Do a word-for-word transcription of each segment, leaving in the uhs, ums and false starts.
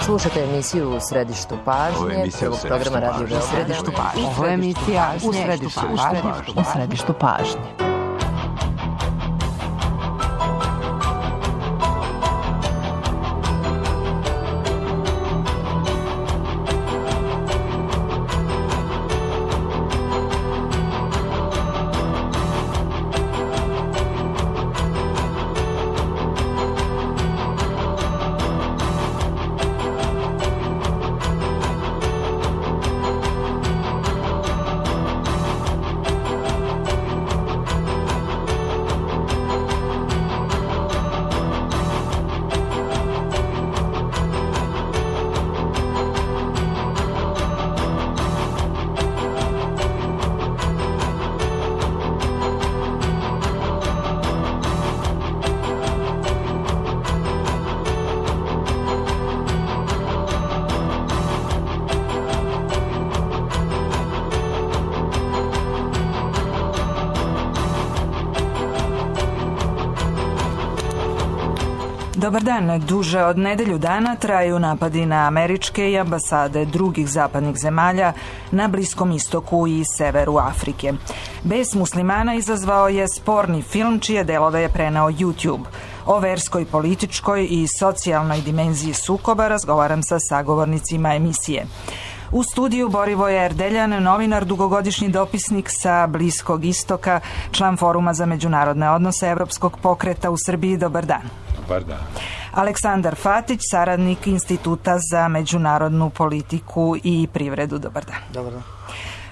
Slušajte emisiju U središtu pažnje, prvog programa Radio Beograda. Ovo je emisija U središtu pažnje. U središtu pažnje. Dobar dan. Duže od nedelju dana traju napadi na američke i ambasade drugih zapadnih zemalja na Bliskom istoku i severu Afrike. Bes muslimana izazvao je sporni film čije delove je preneo YouTube. O verskoj, političkoj i socijalnoj dimenziji sukoba razgovaram sa sagovornicima emisije. U studiju Borivoje Erdeljan, novinar, dugogodišnji dopisnik sa Bliskog istoka, član Foruma za međunarodne odnose Evropskog pokreta u Srbiji. Dobar dan. Dobar dan. Aleksandar Fatić, saradnik Instituta za međunarodnu politiku i privredu. Dobar dan. Dobar dan.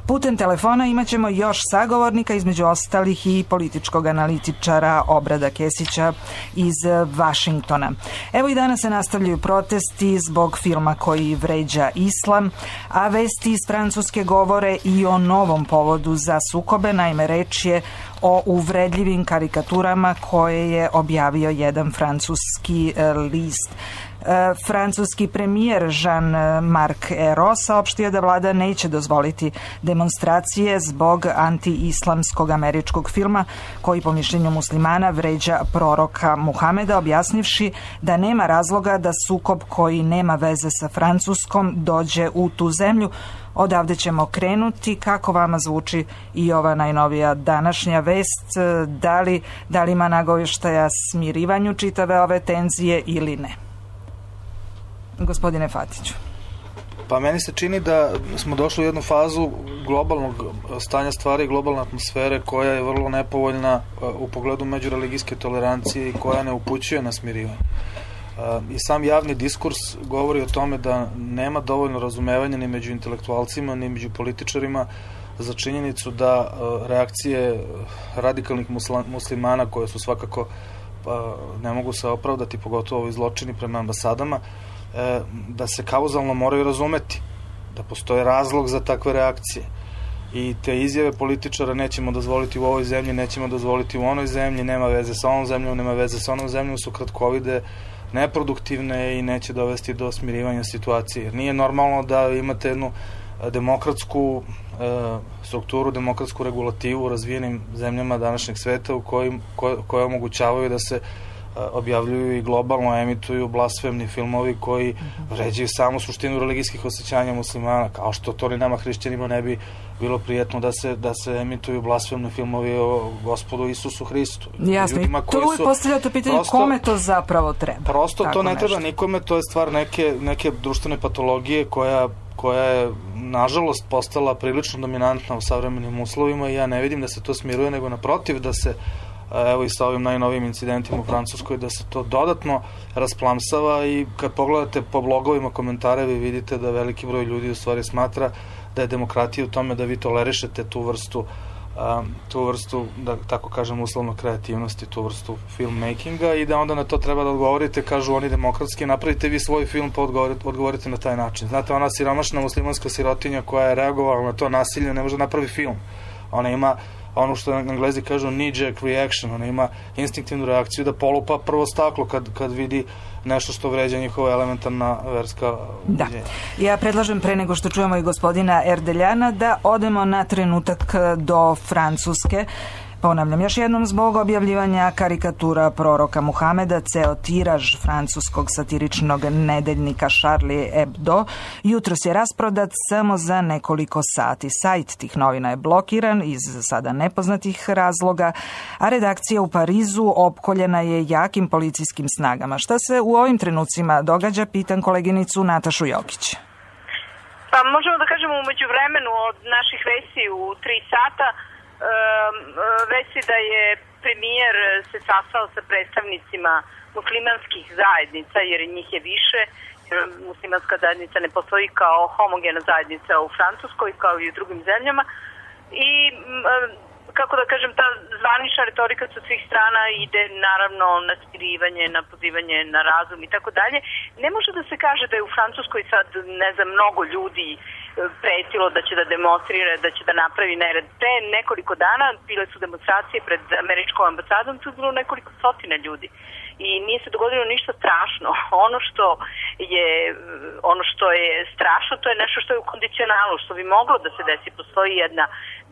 Putem telefona imat ćemo još sagovornika, između ostalih i političkog analitičara Obrada Kesića iz Vašingtona. Evo i danas se nastavljaju protesti zbog filma koji vređa islam, a vesti iz Francuske govore i o novom povodu za sukobe. Naime, reč je o uvredljivim karikaturama koje je objavio jedan francuski list. Francuski premijer Jean-Marc Ayrault saopštio da vlada neće dozvoliti demonstracije zbog anti-islamskog američkog filma koji po mišljenju muslimana vređa proroka Muhameda, objasnivši da nema razloga da sukob koji nema veze sa Francuskom dođe u tu zemlju. Odavde ćemo krenuti. Kako vama zvuči i ova najnovija današnja vest? Da li, da li ima nagovještaja smirivanju čitave ove tenzije ili ne? Gospodine Fatiću. Pa meni se čini da smo došli u jednu fazu globalnog stanja stvari i globalne atmosfere koja je vrlo nepovoljna u pogledu međureligijske tolerancije i koja ne upućuje na smirivanje. I sam javni diskurs govori o tome da nema dovoljno razumevanja ni među intelektualcima, ni među političarima za činjenicu da reakcije radikalnih muslimana koje su svakako ne mogu se opravdati, pogotovo ovi zločini prema ambasadama, da se kauzalno moraju razumeti, da postoje razlog za takve reakcije. I te izjave političara nećemo dozvoliti u ovoj zemlji, nećemo dozvoliti u onoj zemlji, nema veze sa onom zemljom, nema veze sa onom zemljom, su kratkovide, neproduktivne i neće dovesti do smirivanja situacije. Jer nije normalno da imate jednu demokratsku e, strukturu, demokratsku regulativu u razvijenim zemljama današnjeg sveta u kojim, koje, koje omogućavaju da se objavljuju i globalno emituju blasfemni filmovi koji vređaju samu suštinu religijskih osjećanja muslimana, kao što to ni nama hrišćanima ne bi bilo prijetno da se, da se emituju blasfemni filmovi o Gospodu Isusu Hristu. Jasno, i to uvijek postavlja to pitanje prosto, kome to zapravo treba. Prosto Tako to ne nešto. treba nikome, to je stvar neke, neke društvene patologije koja, koja je nažalost postala prilično dominantna u savremenim uslovima i ja ne vidim da se to smiruje, nego naprotiv da se evo i sa ovim najnovijim incidentima u Francuskoj, da se to dodatno rasplamsava i kad pogledate po blogovima komentare vi vidite da veliki broj ljudi u stvari smatra da je demokratija u tome da vi tolerišete tu vrstu um, tu vrstu, da tako kažem, uslovno kreativnosti, tu vrstu filmmakinga i da onda na to treba da odgovorite, kažu oni demokratski, napravite vi svoj film pa odgovorite, odgovorite na taj način. Znate, ona siromašna muslimanska sirotinja koja je reagovala na to nasilje ne može napravi film. Ona ima ono što Englezi kažu knee-jerk reaction, ona ima instinktivnu reakciju da polupa prvo staklo kad, kad vidi nešto što vređa njihova elementarna verska ubeđenja. Da. Ja predlažem pre nego što čujemo i gospodina Erdeljana da odemo na trenutak do Francuske. Ponavljam još jednom, zbog objavljivanja karikatura proroka Muhameda, ceo tiraž francuskog satiričnog nedeljnika Charlie Hebdo jutros je rasprodat samo za nekoliko sati. Sajt tih novina je blokiran iz sada nepoznatih razloga, a redakcija u Parizu opkoljena je jakim policijskim snagama. Šta se u ovim trenucima događa, pitan koleginicu Natašu Jokić. Pa možemo da kažemo umeđu vremenu od naših vesti u tri sata, vesti da je premijer se sastao sa predstavnicima muslimanskih zajednica, jer njih je više. Muslimanska zajednica ne postoji kao homogena zajednica u Francuskoj, kao i u drugim zemljama. I, kako da kažem, ta zvanična retorika sa svih strana ide naravno na smirivanje, na pozivanje na razum i tako dalje. Ne može da se kaže da je u Francuskoj sad, ne znam, mnogo ljudi pretilo da će da demonstrira, da će da napravi nered. Pre nekoliko dana bile su demonstracije pred američkom ambasadom, tu je bilo nekoliko stotina ljudi. I nije se dogodilo ništa strašno. Ono što je, ono što je strašno, to je nešto što je u kondicionalu, što bi moglo da se desi. Postoji jedna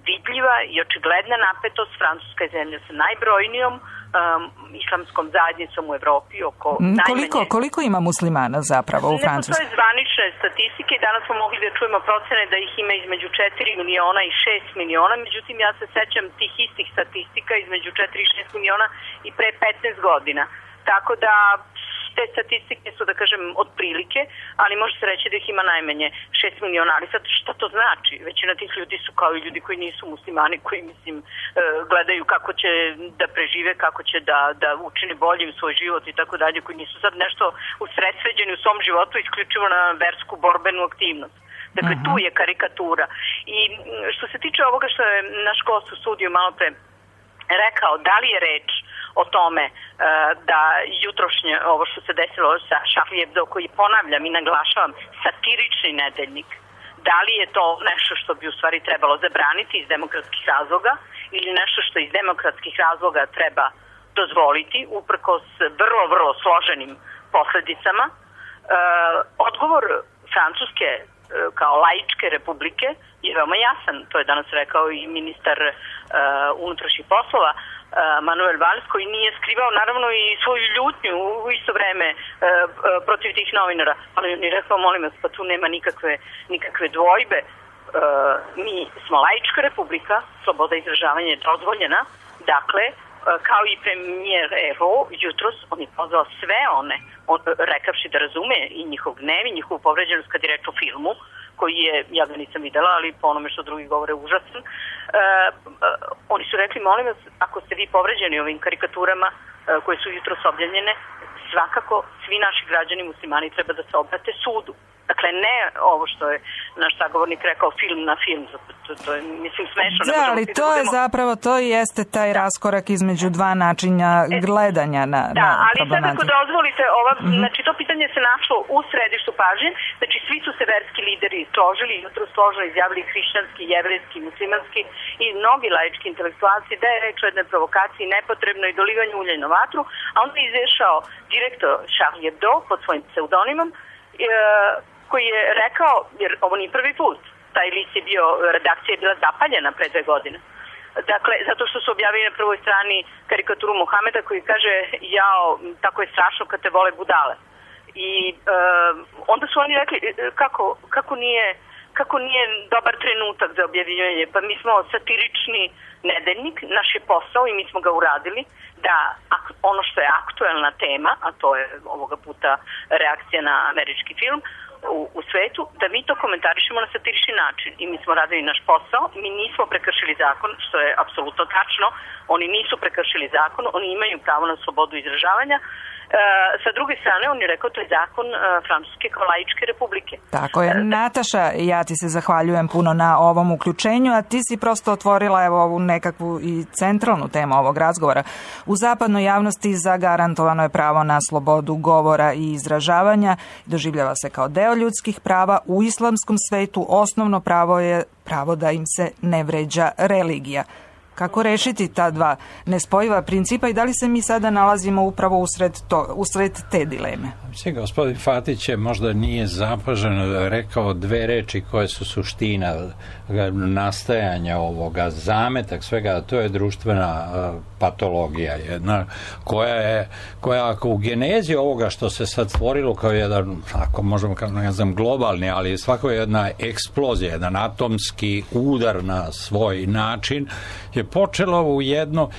vidljiva i očigledna napetost. Francuska je zemlja sa najbrojnijom um, islamskom zajednicom u Evropi. Oko koliko, najmanje... koliko ima muslimana zapravo u Francuskoj? Ne postoje zvanične statistike. Danas smo mogli da čujemo procene da ih ima između četiri miliona i šest miliona. Međutim, ja se sećam tih istih statistika između četiri i šest miliona i pre petnaest godina. Tako da te statistike su, da kažem, otprilike, ali može se reći da ih ima najmanje šest miliona. Ali sad šta to znači? Većina tih ljudi su kao i ljudi koji nisu muslimani, koji, mislim, gledaju kako će da prežive, kako će da, da učine boljim svoj život i tako dalje, koji nisu sad nešto usredsređeni u svom životu isključivo na versku borbenu aktivnost. Dakle, tu je karikatura. I što se tiče ovoga što je naš gost u studiju malo pre rekao, da li je reč o tome da jutrošnje ovo što se desilo sa Charlie Hebdo, koji, ponavljam i naglašavam, satirični nedeljnik, da li je to nešto što bi u stvari trebalo zabraniti iz demokratskih razloga ili nešto što iz demokratskih razloga treba dozvoliti uprkos vrlo, vrlo složenim posledicama. Odgovor Francuske kao laičke republike je veoma jasan. To je danas rekao i ministar unutrašnjih poslova Manuel Valls, koji nije skrivao naravno i svoju ljutnju u isto vreme e, protiv tih novinara. Ali on je rekao, molim vas, pa tu nema nikakve, nikakve dvojbe. E, mi smo laička republika, sloboda izražavanja je dozvoljena. Dakle, e, kao i premijer Evo, jutros on je pozvao sve one, on, rekavši da razume i njihov gnev i njihovu povređenost kad je reč o filmu, koji je, ja ga nisam videla, ali po onome što drugi govore užasan. E, e, oni su rekli, molim vas, ako ste vi povređeni ovim karikaturama e, koje su jutros objavljene, svakako svi naši građani muslimani treba da se obrate sudu. Dakle, ne ovo što je naš sagovornik rekao, film na film, to, to je, mislim, smešno. Da, ali to je zapravo, to jeste taj da. raskorak između dva načina gledanja na, da, na ali sad ako dozvolite, ova, mm-hmm. znači to pitanje se našlo u središtu pažnje, znači svi su se verski lideri složili, jutro složno izjavili hrišćanski, jevrejski, muslimanski i mnogi laički intelektualci da je reč o jednoj provokaciji nepotrebno i dolivanju ulja na vatru, a onda je izašao direktor Charlie Hebdo pod svojim pseudonimom, e, koji je rekao, jer ovo nije prvi put, taj list je bio, redakcija je bila zapaljena pre dve godine. Dakle, zato što su objavili na prvoj strani karikaturu Muhameda koji kaže, jao, tako je strašno kad te vole budale. I e, onda su oni rekli, kako, kako nije... kako nije dobar trenutak za objavljivanje. Pa mi smo satirični nedeljnik, naš je posao i mi smo ga uradili, da ono što je aktuelna tema, a to je ovoga puta reakcija na američki film u, u svetu, da mi to komentarišemo na satirični način. I mi smo radili naš posao, mi nismo prekršili zakon, što je apsolutno tačno, oni nisu prekršili zakon, oni imaju pravo na slobodu izražavanja. E, sa druge strane, on je rekao, to je zakon e, Francuske kao laičke republike. Tako je. Nataša, ja ti se zahvaljujem puno na ovom uključenju, a ti si prosto otvorila evo ovu nekakvu i centralnu temu ovog razgovora. U zapadnoj javnosti zagarantovano je pravo na slobodu govora i izražavanja, doživljava se kao deo ljudskih prava. U islamskom svetu osnovno pravo je pravo da im se ne vređa religija. Kako rešiti ta dva nespojiva principa i da li se mi sada nalazimo upravo usred, to, usred te dileme? Mislim, gospodin Fatić je možda nije zapaženo rekao dve reči koje su suština nastajanja ovoga, zametak svega, to je društvena uh, patologija jedna, koja je, koja ako u genezi ovoga što se sad stvorilo kao jedan, ako možemo kao, ne znam, globalni, ali svako je jedna eksplozija, jedan atomski udar na svoj način, je počelo u jedno,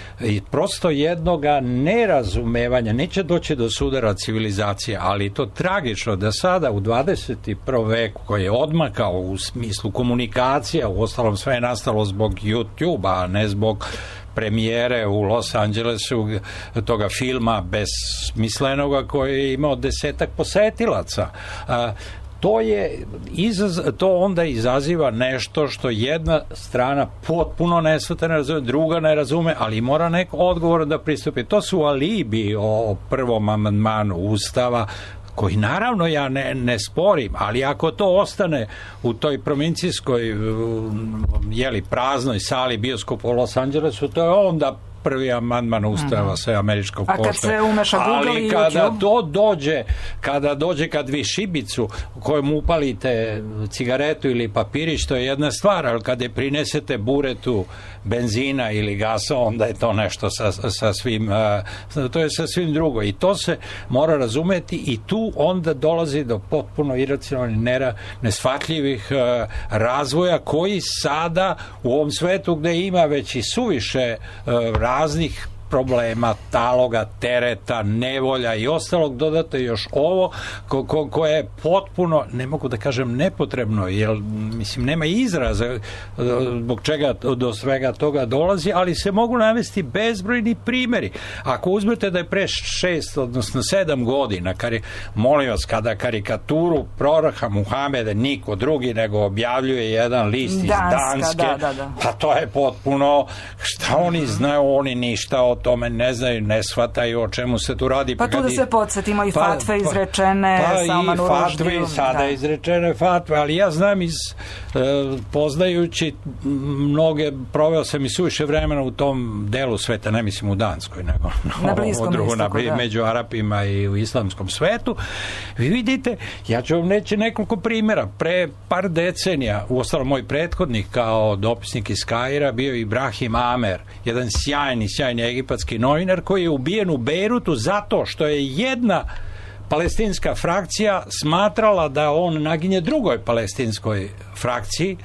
prosto jednoga nerazumevanja, neće doći do sudara civilizacije, ali to tragično da sada u dvadeset prvom veku koji je odmakao u smislu komunikacija, u ostalom sve je nastalo zbog YouTube-a, a ne zbog premijere u Los Angelesu toga filma besmislenoga koji je imao desetak posetilaca. To je izaz, to onda izaziva nešto što jedna strana potpuno nesvata ne razume, druga ne razume, ali mora neko odgovor da pristupi. To su alibi o prvom amandmanu Ustava, koji naravno ja ne, ne sporim, ali ako to ostane u toj provincijskoj jeli, praznoj sali bioskopa u Los Angelesu, to je onda prvi amandman Ustava mm-hmm. sve američkog pošte. A kad se umeša Google ali i kada YouTube? to dođe, kada dođe kad vi šibicu u kojom upalite cigaretu ili papirić, to je jedna stvar, ali kad je prinesete buretu benzina ili gasa, onda je to nešto sa, sa svim, uh, to je sa svim drugo. I to se mora razumeti i tu onda dolazi do potpuno iracionalnih, nera, nesvatljivih uh, razvoja koji sada u ovom svetu gde ima već i suviše uh, raznih problema, taloga, tereta, nevolja i ostalog, dodate još ovo ko, ko, koje je potpuno, ne mogu da kažem nepotrebno, jer mislim nema izraza zbog čega do svega toga dolazi, ali se mogu navesti bezbrojni primjeri. Ako uzmete da je pre šest, odnosno sedam godina, kar je, molim vas, kada karikaturu proroka Muhameda niko drugi nego objavljuje jedan list iz Danska, Danske, da, da, da. pa to je potpuno, šta oni znaju, oni ništa o tome ne znaju, ne shvataju o čemu se tu radi. Pa, pa tu da se podsjetimo i pa, fatve izrečene pa, pa Salmanu Ruždiju. Pa i fatve, Ruždiju, sada da. izrečene fatve, ali ja znam iz, e, poznajući mnoge, proveo sam i suviše vremena u tom delu sveta, ne mislim u Danskoj, nego na Bliskom drugo, istoku, na, da. među Arapima i u islamskom svetu. Vi vidite, ja ću vam reći nekoliko primjera. Pre par decenija, uostalom moj prethodnik kao dopisnik iz Kaira bio Ibrahim Amer, jedan sjajni, sjajni egipatski novinar koji je ubijen u Bejrutu zato što je jedna palestinska frakcija smatrala da on naginje drugoj palestinskoj frakciji.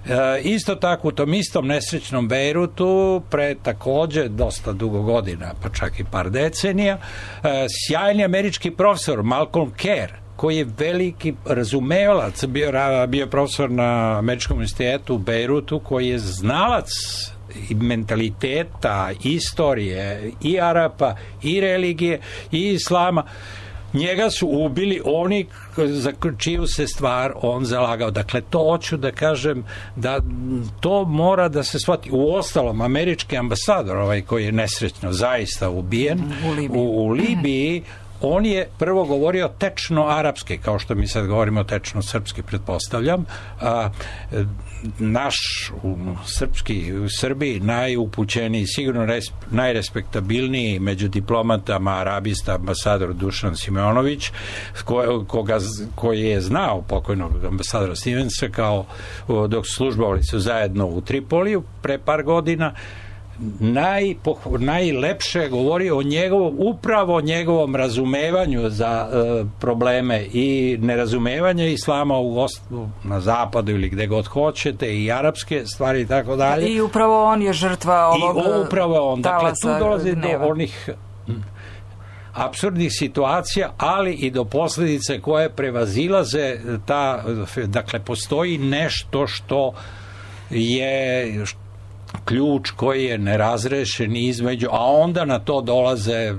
E, isto tako u tom istom nesrećnom Bejrutu pre takođe dosta dugo godina, pa čak i par decenija, e, sjajni američki profesor Malcolm Kerr, koji je veliki razumevalac, bio, bio profesor na Američkom univerzitetu u Bejrutu, koji je znalac i mentaliteta, istorije i Arapa, i religije, i islama. Njega su ubili oni za čiju se stvar on zalagao. Dakle, to hoću da kažem da to mora da se shvati. U ostalom, američki ambasador, ovaj koji je nesrećno zaista ubijen u Libiji, u, u Libiji on je prvo govorio tečno arapski, kao što mi sad govorimo tečno srpski, pretpostavljam. A, naš u, srpski u Srbiji najupućeniji, sigurno res, najrespektabilniji među diplomatama arabista ambasador Dušan Simeonović, ko, koga, koji je znao pokojnog ambasadora Stevensa kao dok službovali su zajedno u Tripoliju pre par godina. Naj, najlepše govori o njegovom, upravo o njegovom razumevanju za e, probleme i nerazumevanje islama u, na zapadu ili gde god hoćete i arapske stvari i tako dalje. I upravo on je žrtva ovog I upravo on. Dakle, tu dolazi gneva. do onih apsurdnih situacija, ali i do posljedice koje prevazilaze ta, dakle, postoji nešto što je ključ koji je nerazrešen između, a onda na to dolaze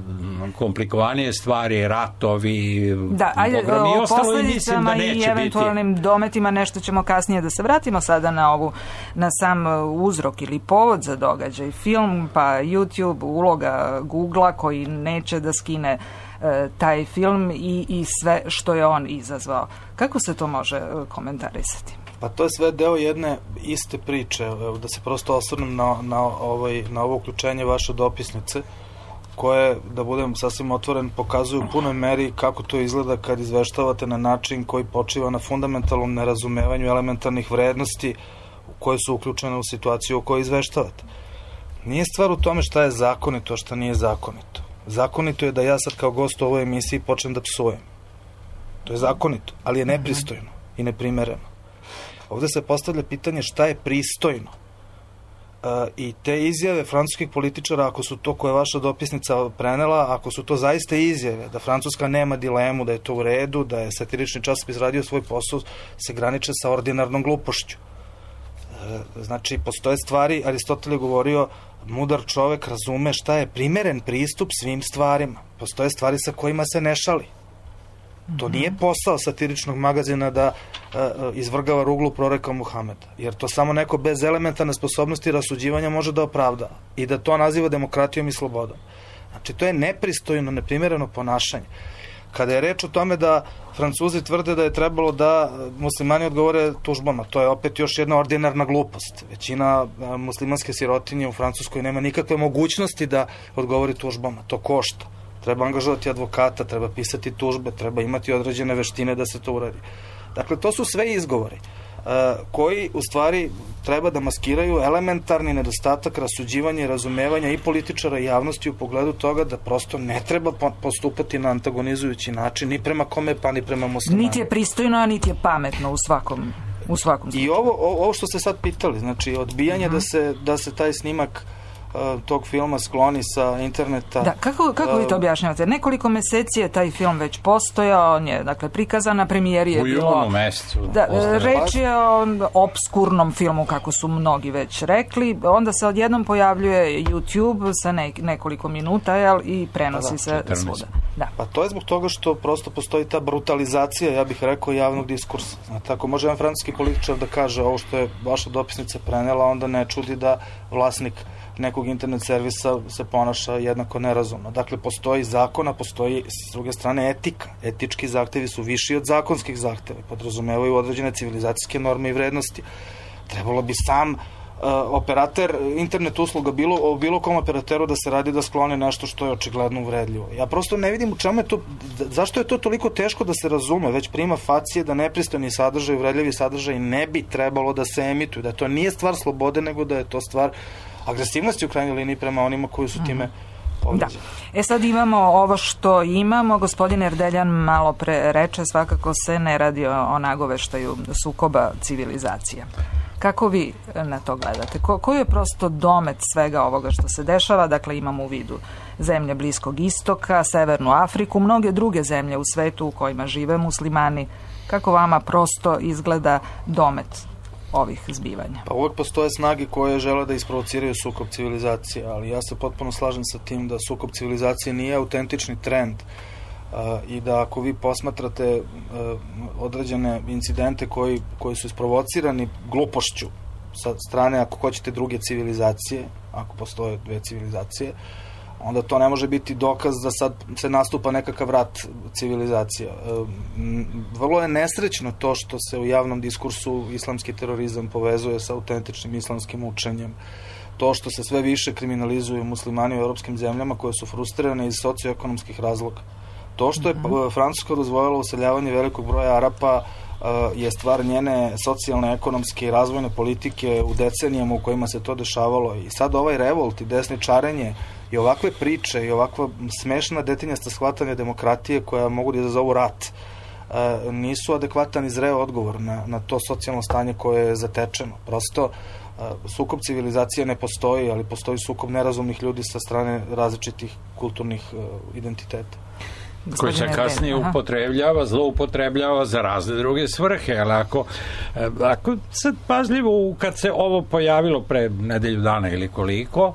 komplikovanije stvari, ratovi, da, ajde, pogromni, o posljedicama da i eventualnim biti. Dometima nešto ćemo kasnije da se vratimo sada na ovu, na sam uzrok ili povod za događaj. Film, pa YouTube, uloga Googlea koji neće da skine e, taj film i, i sve što je on izazvao. Kako se to može komentarisati? Pa to je sve deo jedne iste priče, da se prosto osvrnem na, na, ovaj, na ovo uključenje vaše dopisnice, koje, da budem sasvim otvoren, pokazuju u punoj meri kako to izgleda kad izveštavate na način koji počiva na fundamentalnom nerazumevanju elementarnih vrednosti koje su uključene u situaciju o kojoj izveštavate. Nije stvar u tome šta je zakonito, a šta nije zakonito. Zakonito je da ja sad kao gost u ovoj emisiji počnem da psujem. To je zakonito, ali je nepristojno i neprimereno. Ovde se postavlja pitanje šta je pristojno. Uh, I te izjave francuskih političara, ako su to koje vaša dopisnica prenela, ako su to zaista izjave, da Francuska nema dilemu, da je to u redu, da je satirični časopis radio svoj posao, se graniče sa ordinarnom glupošću. Uh, znači, postoje stvari, Aristotel je govorio, mudar čovek razume šta je primeren pristup svim stvarima. Postoje stvari sa kojima se ne šali. To nije posao satiričnog magazina da uh, izvrgava ruglu proreka Muhameda, jer to samo neko bez elementarne sposobnosti rasuđivanja može da opravda i da to naziva demokratijom i slobodom. Znači, to je nepristojno, neprimereno ponašanje. Kada je reč o tome da Francuzi tvrde da je trebalo da muslimani odgovore tužbama, to je opet još jedna ordinarna glupost. Većina uh, muslimanske sirotinje u Francuskoj nema nikakve mogućnosti da odgovori tužbama. To košta. Treba angažovati advokata, treba pisati tužbe, treba imati određene veštine da se to uradi. Dakle, to su sve izgovori uh, koji u stvari treba da maskiraju elementarni nedostatak rasuđivanja i razumevanja i političara i javnosti u pogledu toga da prosto ne treba postupati na antagonizujući način ni prema kome pa ni prema muslimanima. Niti je pristojno, a niti je pametno u svakom, u svakom slučaju. I ovo, ovo što ste sad pitali, znači odbijanje uh-huh. da, se, da se taj snimak tog filma skloni sa interneta. Da, kako, kako vi to objašnjavate? Nekoliko meseci je taj film već postojao, on je, dakle, prikazan na premijeri je u bilo... U junu mesecu. Da, reč je o obskurnom filmu, kako su mnogi već rekli. Onda se odjednom pojavljuje YouTube sa ne, nekoliko minuta, jel, i prenosi da, se četrnaest svuda. Da. Pa to je zbog toga što prosto postoji ta brutalizacija, ja bih rekao, javnog diskursa. Znate, ako može jedan francuski političar da kaže ovo što je vaša dopisnica prenela, onda ne čudi da vlasnik nekog internet servisa se ponaša jednako nerazumno. Dakle, postoji zakon, a postoji s druge strane etika. Etički zahtevi su viši od zakonskih zahteva. Podrazumevaju određene civilizacijske norme i vrednosti. Trebalo bi sam uh, operater internet usluga bilo, o bilo kom operateru da se radi da skloni nešto što je očigledno uvredljivo. Ja prosto ne vidim u čemu je to, zašto je to toliko teško da se razume, već prima facije da nepristojni sadržaj, uvredljivi sadržaj ne bi trebalo da se emituju, da to nije stvar slobode, nego da je to stvar agresivnosti u krajnjoj liniji prema onima koji su time povređeni. Da. E sad imamo ovo što imamo. Gospodin Erdeljan malo pre reče, svakako se ne radi o nagoveštaju sukoba civilizacija. Kako vi na to gledate? Ko, koji je prosto domet svega ovoga što se dešava? Dakle, imamo u vidu zemlje Bliskog istoka, Severnu Afriku, mnoge druge zemlje u svetu u kojima žive muslimani. Kako vama prosto izgleda domet ovih zbivanja? Pa uvek postoje snage koje žele da isprovociraju sukob civilizacije, ali ja se potpuno slažem sa tim da sukob civilizacije nije autentični trend uh, i da ako vi posmatrate uh, određene incidente koji, koji su isprovocirani glupošću sa strane, ako hoćete, druge civilizacije, ako postoje dve civilizacije, onda to ne može biti dokaz da sad se nastupa nekakav rat civilizacija. Vrlo je nesrećno to što se u javnom diskursu islamski terorizam povezuje sa autentičnim islamskim učenjem. To što se sve više kriminalizuju muslimani u europskim zemljama koje su frustrirane iz socioekonomskih razloga. To što je Francuska dozvojila useljavanje velikog broja Arapa je stvar njene socijalne, ekonomske i razvojne politike u decenijama u kojima se to dešavalo. I sad ovaj revolt i desničarenje i ovakve priče i ovakva smešna detinjasta shvatanja demokratije koja mogu da izazovu rat nisu adekvatan i zreo odgovor na, na to socijalno stanje koje je zatečeno. Prosto sukob civilizacije ne postoji, ali postoji sukob nerazumnih ljudi sa strane različitih kulturnih identiteta. Koji se kasnije upotrebljava, zloupotrebljava za razne druge svrhe, ali ako, ako sad pažljivo, kad se ovo pojavilo pre nedelju dana ili koliko,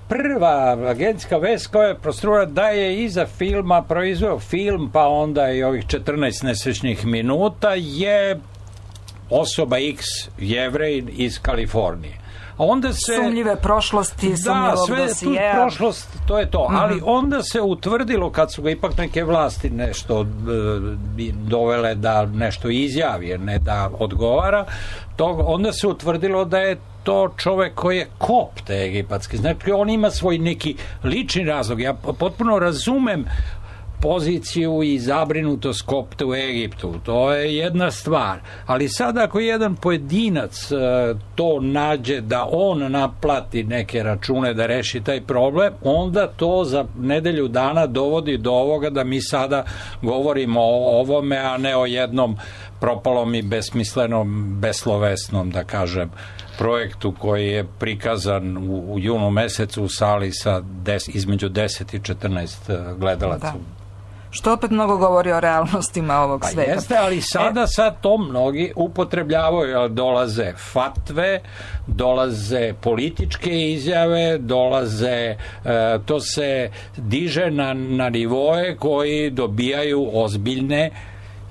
prva agencijska vest koja je prostrula da je iza filma proizveo film, pa onda i ovih četrnaest nesrećnih minuta, je osoba X, Jevrej iz Kalifornije. onda se... Sumnjive prošlosti, sumnjivog dosijeja. Da, sve tu prošlost, to je to. Mm-hmm. Ali onda se utvrdilo, kad su ga ipak neke vlasti nešto e, dovele da nešto izjavi, ne da odgovara, to, onda se utvrdilo da je to čovek koji je kopt egipatski. Znači, on ima svoj neki lični razlog. Ja potpuno razumem poziciju i zabrinutost kopta u Egiptu. To je jedna stvar. Ali sad ako jedan pojedinac to nađe da on naplati neke račune da reši taj problem, onda to za nedelju dana dovodi do ovoga da mi sada govorimo o ovome, a ne o jednom propalom i besmislenom, beslovesnom, da kažem, projektu koji je prikazan u, u junu mesecu u sali sa des, između deset i četrnaest gledalaca. Da. Što opet mnogo govori o realnostima ovog pa sveta. Jeste, ali sada e... sad to mnogi upotrebljavaju. Dolaze fatve, dolaze političke izjave, dolaze, e, to se diže na, na nivoe koji dobijaju ozbiljne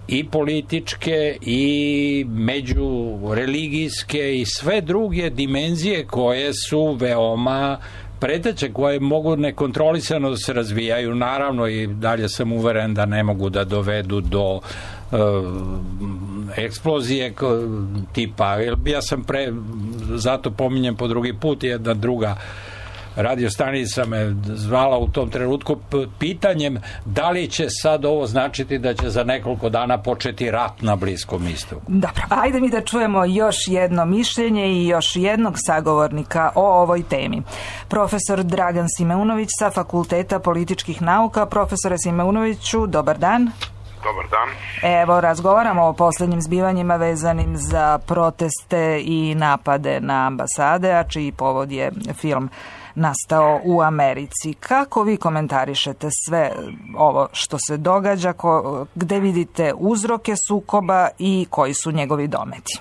i političke i međureligijske i sve druge dimenzije koje su veoma preteče, koje mogu nekontrolisano da se razvijaju. Naravno i dalje sam uveren da ne mogu da dovedu do uh, eksplozije tipa, ja sam pre, zato pominjem po drugi put, jedna druga radio stanica me zvala u tom trenutku pitanjem da li će sad ovo značiti da će za nekoliko dana početi rat na Bliskom istoku. Dobro, ajde mi da čujemo još jedno mišljenje i još jednog sagovornika o ovoj temi. Profesor Dragan Simeunović sa Fakulteta političkih nauka. Profesore Simeunoviću, dobar dan. Dobar dan. Evo, razgovaramo o posljednjim zbivanjima vezanim za proteste i napade na ambasade, a čiji povod je film nastao u Americi. Kako vi komentarišete sve ovo što se događa, ko, gde vidite uzroke sukoba i koji su njegovi dometi?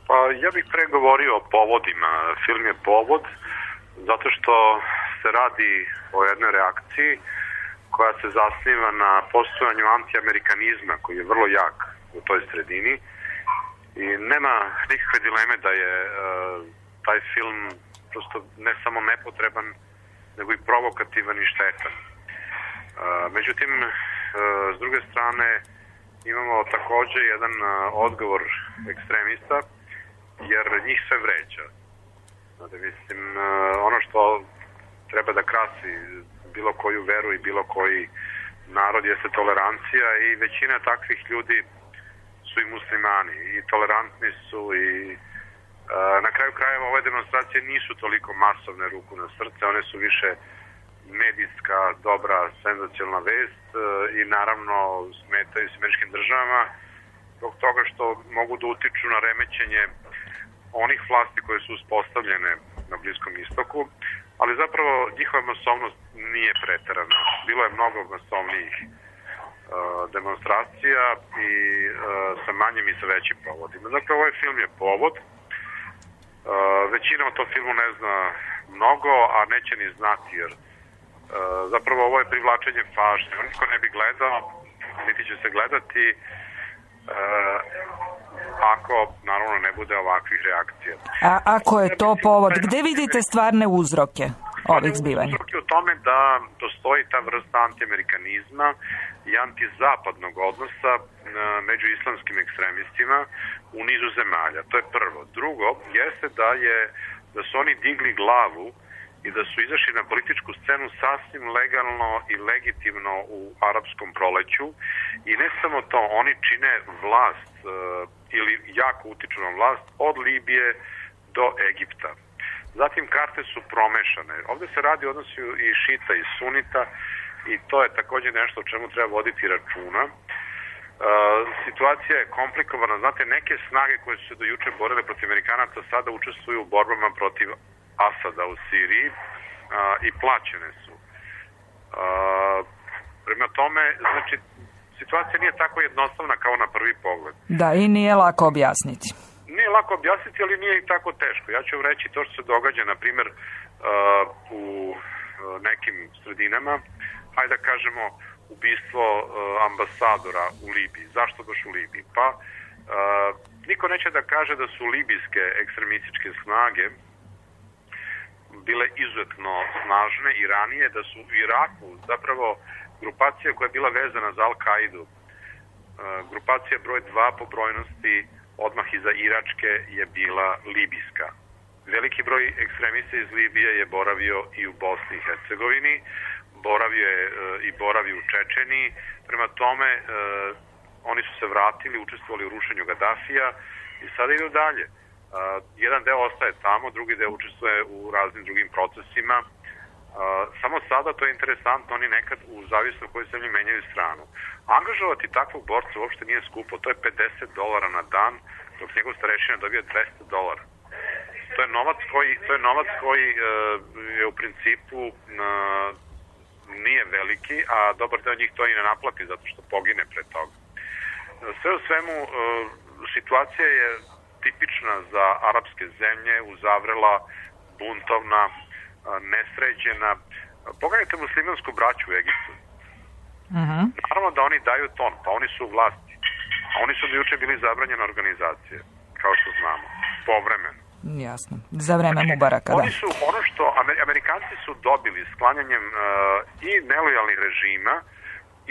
Pa ja bih pre govorio o povodima. Film je povod zato što se radi o jednoj reakciji koja se zasniva na postojanju antiamerikanizma koji je vrlo jak u toj sredini i nema nikakve dileme da je uh, taj film prosto ne samo nepotreban, nego i provokativan i štetan. Uh, međutim, uh, s druge strane, imamo takođe jedan uh, odgovor ekstremista, jer njih sve vređa. Znate, mislim, uh, ono što treba da krasi bilo koju veru i bilo koji narod jeste tolerancija i većina takvih ljudi su i muslimani i tolerantni su i na kraju krajeva ove demonstracije nisu toliko masovne, ruku na srce, one su više medijska, dobra, senzacionalna vest i naravno smetaju s američkim državama zbog toga što mogu da utiču na remećenje onih vlasti koje su uspostavljene na Bliskom istoku, ali zapravo njihova masovnost nije preterana. Bilo je mnogo masovnijih uh, demonstracija i uh, sa manjim i sa većim povodima. Dakle, ovaj film je povod. Uh, većina o tom filmu ne zna mnogo, a neće ni znati, jer uh, zapravo ovo je privlačenje pažnje. Niko ne bi gledao, niti će se gledati uh, ako, naravno, ne bude ovakvih reakcija. A ako je to povod, gde vidite stvarne uzroke ovih zbivanja? Uzroke u tome da postoji ta vrsta antiamerikanizma i antizapadnog odnosa među islamskim ekstremistima u nizu zemalja. To je prvo. Drugo, jeste da je da su oni digli glavu i da su izašli na političku scenu sasvim legalno i legitimno u arapskom proleću i ne samo to, oni čine vlast uh, ili jako utiču na vlast od Libije do Egipta. Zatim karte su promešane. Ovde se radi o odnosu i šita i sunita i to je takođe nešto o čemu treba voditi računa. Uh, situacija je komplikovana. Znate, neke snage koje su se do juče borile protiv Amerikanaca sada učestvuju u borbama protiv Asada u Siriji uh, i plaćene su. Uh, prema tome, znači, situacija nije tako jednostavna kao na prvi pogled. Da, i nije lako objasniti. Nije lako objasniti, ali nije i tako teško. Ja ću vam reći to što se događa, na primjer, uh, u uh, nekim sredinama, hajde da kažemo, ubistvo uh, ambasadora u Libiji. Zašto baš u Libiji? Pa, uh, niko neće da kaže da su libijske ekstremističke snage bile izuzetno snažne i ranije, da su u Iraku zapravo grupacija koja je bila vezana za Al-Kaidu, grupacija broj dva po brojnosti odmah iza Iračke je bila libijska. Veliki broj ekstremista iz Libije je boravio i u Bosni i Hercegovini, boravio je i boravi u Čečeniji, prema tome oni su se vratili, učestvovali u rušenju Gadafija i sada idu dalje. Jedan deo ostaje tamo, drugi deo učestvuje u raznim drugim procesima. Samo sada, to je interesantno, oni nekad u zavisno koje zemlje menjaju stranu. Angažovati takvog borca uopšte nije skupo, to je pedeset dolara na dan, dok njegov starešina dobije dvesta dolara. To je novac koji, to je novac koji je u principu nije veliki, a dobar deo njih to i ne naplati zato što pogine pre toga. Sve u svemu, situacija je tipična za arapske zemlje, uzavrela, buntovna, nesređena. Pogledajte muslimansku braću u Egiptu. Uh-huh. Naravno da oni daju ton, pa oni su u vlasti. A oni su do juče bili zabranjene organizacije, kao što znamo, povremeno. Jasno, za vreme Mubaraka, da. Oni su, ono što Amerikanci su dobili sklanjanjem uh, i nelojalnih režima,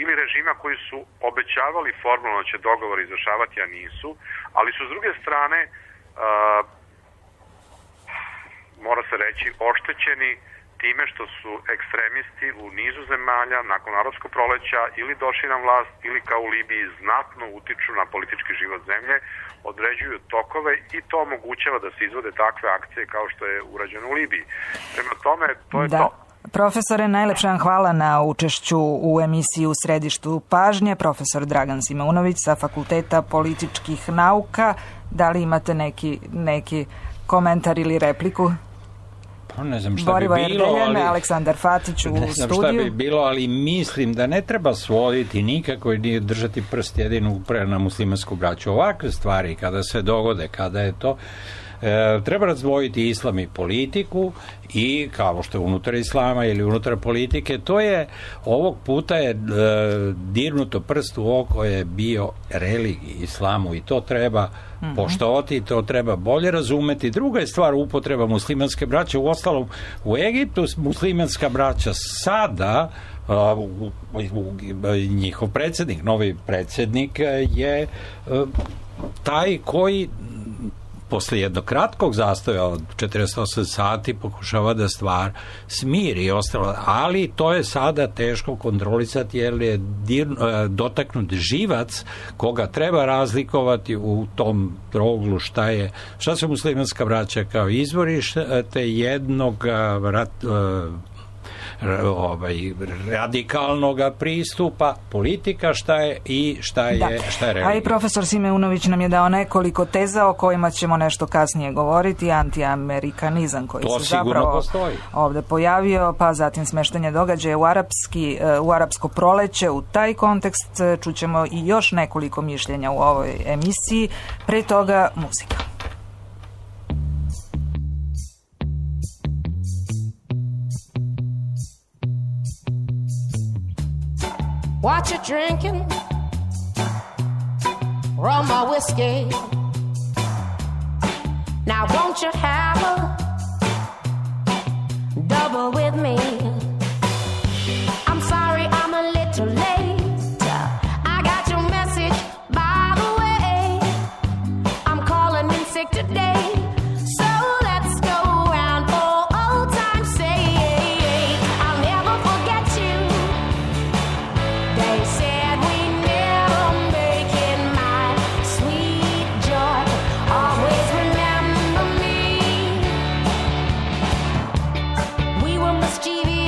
ili režima koji su obećavali formalno će dogovor izvršavati, a nisu, ali su s druge strane, uh, mora se reći, oštećeni time što su ekstremisti u nizu zemalja nakon arapskog proleća ili došli na vlast ili kao u Libiji znatno utiču na politički život zemlje, određuju tokove i to omogućava da se izvode takve akcije kao što je urađeno u Libiji. Prema tome, to je da. to. Profesore, najlepše vam hvala na učešću u emisiji U središtu pažnje. Profesor Dragan Simeunović sa Fakulteta političkih nauka. Da li imate neki, neki komentar ili repliku? Pa ne znam šta Borivo bi bilo, Erdeljan, ali... Aleksandar Fatić u ne znam studiju. šta bi bilo, ali mislim da ne treba svoditi nikako i nije držati prst jedinu na muslimansku braću. Ovakve stvari, kada se dogode, kada je to... E, treba razdvojiti islam i politiku i kao što je unutar islama ili unutar politike, to je ovog puta je e, dirnuto prst u oko je bio religiji islamu i to treba mm-hmm. poštovati, to treba bolje razumeti. Druga je stvar upotreba muslimanske braće, u ostalom u Egiptu muslimanska braća sada Uh, u, u, u, njihov predsjednik, novi predsjednik je uh, taj koji posle jednog kratkog zastoja od četrdeset osam sati pokušava da stvar smiri i ostalo, ali to je sada teško kontrolisati jer je dir, dotaknut živac koga treba razlikovati u tom roglu šta je, šta su muslimanska braća kao izvorište te jednog rat, ovaj radikalnog pristupa, politika šta je i šta je, da. šta je religija. A i profesor Simeunović nam je dao nekoliko teza o kojima ćemo nešto kasnije govoriti, antiamerikanizam koji to se zapravo postoji. Ovde pojavio, pa zatim smeštanje događaja u arapski, u arapsko proleće, u taj kontekst čućemo i još nekoliko mišljenja u ovoj emisiji, pre toga muzika. What you drinking? Rum or whiskey? Now won't you have a double with me? I'm sorry I'm a little late. I got your message by the way. I'm calling in sick today. So let's go round for old time's sake. I'll never forget you. They said we never make it, my sweet joy. Always remember me. We were mischievous.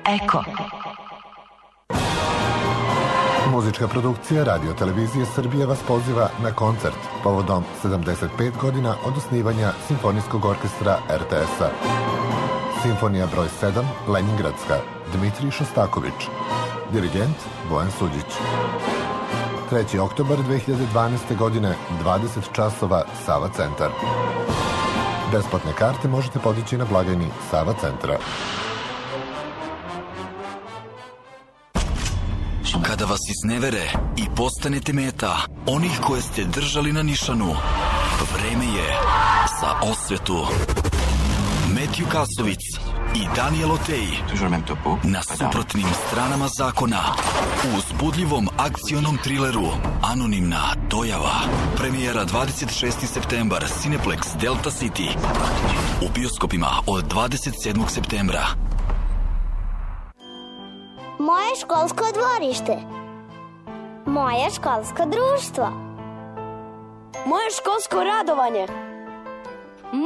Eko. Muzička produkcija Radio Televizije Srbije vas poziva na koncert povodom sedamdeset pet godina od osnivanja Simfonijskog orkestra er te es-a. Simfonija broj sedam, Leningradska, Dmitrij Šostaković. Dirigent Bojan Suđić. treći oktobar dve hiljade dvanaeste. godine, dvadeset časova, Sava centar. Besplatne karte možete podići na blagajni Sava centra. Kada vas iznevere i postanete meta onih koje ste držali na nišanu, vreme je za osvetu. Metju Kasovic i Daniel Otej na suprotnim stranama zakona u uzbudljivom akcionom trileru Anonimna dojava. Premijera dvadeset šesti septembar, Cineplex Delta City. U bioskopima od dvadeset sedmog septembra. Moje školsko dvorište. Moje školsko društvo. Moje školsko radovanje.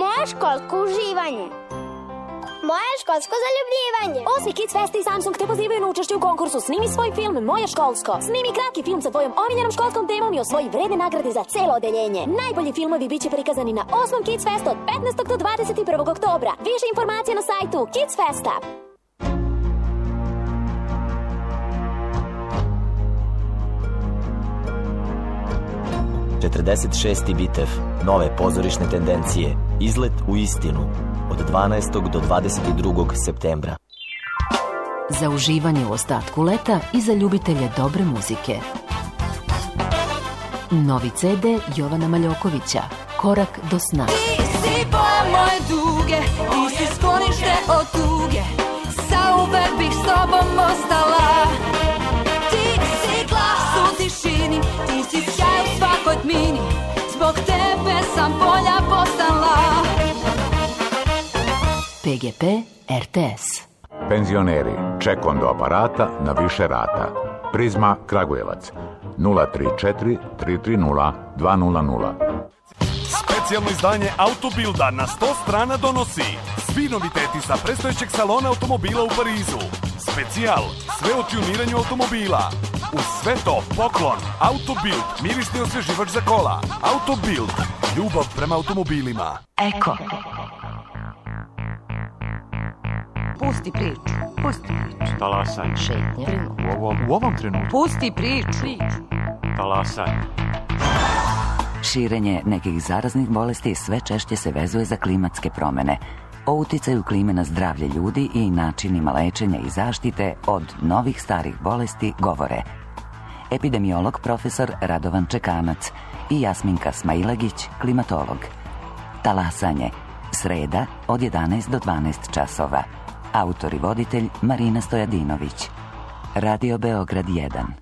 Moje školsko uživanje. Moje školsko zaljubljivanje. Osmi Kids Fest i Samsung te pozivaju na učešće u konkursu Snimi svoj film Moje školsko. Snimi kratki film sa tvojom omiljenom školskom temom i osvoji vredne nagrade za celo odeljenje. Najbolji filmovi biće prikazani na osmom Kids Festu od petnaestog do dvadeset prvog oktobra. Više informacija na sajtu Kids Festa. četrdeset šesti Bitev, nove pozorišne tendencije, izlet u istinu, od dvanaestog do dvadeset drugog septembra. Za uživanje u ostatku leta i za ljubitelje dobre muzike. Novi ce de Jovana Maljokovića, Korak do sna. Ti si boja moje duge, ti si sklonište od tuge, zauvek bih s tobom ostala. Ti si glas u tišini, ti si sjaj u svakoj tmini, zbog tebe sam bolja postala. pe ge pe er te es. Penzioneri, ček do aparata na više rata. Prizma Kragujevac nula tri četiri tri tri nula dva nula nula. Specijalno izdanje Autobilda na sto strana donosi svi noviteti sa predstojećeg salona automobila u Parizu. Specijal, sve o tuniranju automobila. Uz sve to, poklon, Autobild, mirisni osveživač za kola. Autobild, ljubav prema automobilima. Eko. Pusti priču. Pusti priču. Talasanje. Šetnja. U ovom, u ovom trenutku. Pusti priču. Talasanje. Širenje nekih zaraznih bolesti sve češće se vezuje za klimatske promene. O uticaju klime na zdravlje ljudi i načinima lečenja i zaštite od novih starih bolesti govore epidemiolog profesor Radovan Čekanac i Jasminka Smailagić, klimatolog. Talasanje, sreda od jedanaest do dvanaest časova. Autor i voditelj Marina Stojadinović. Radio Beograd jedan.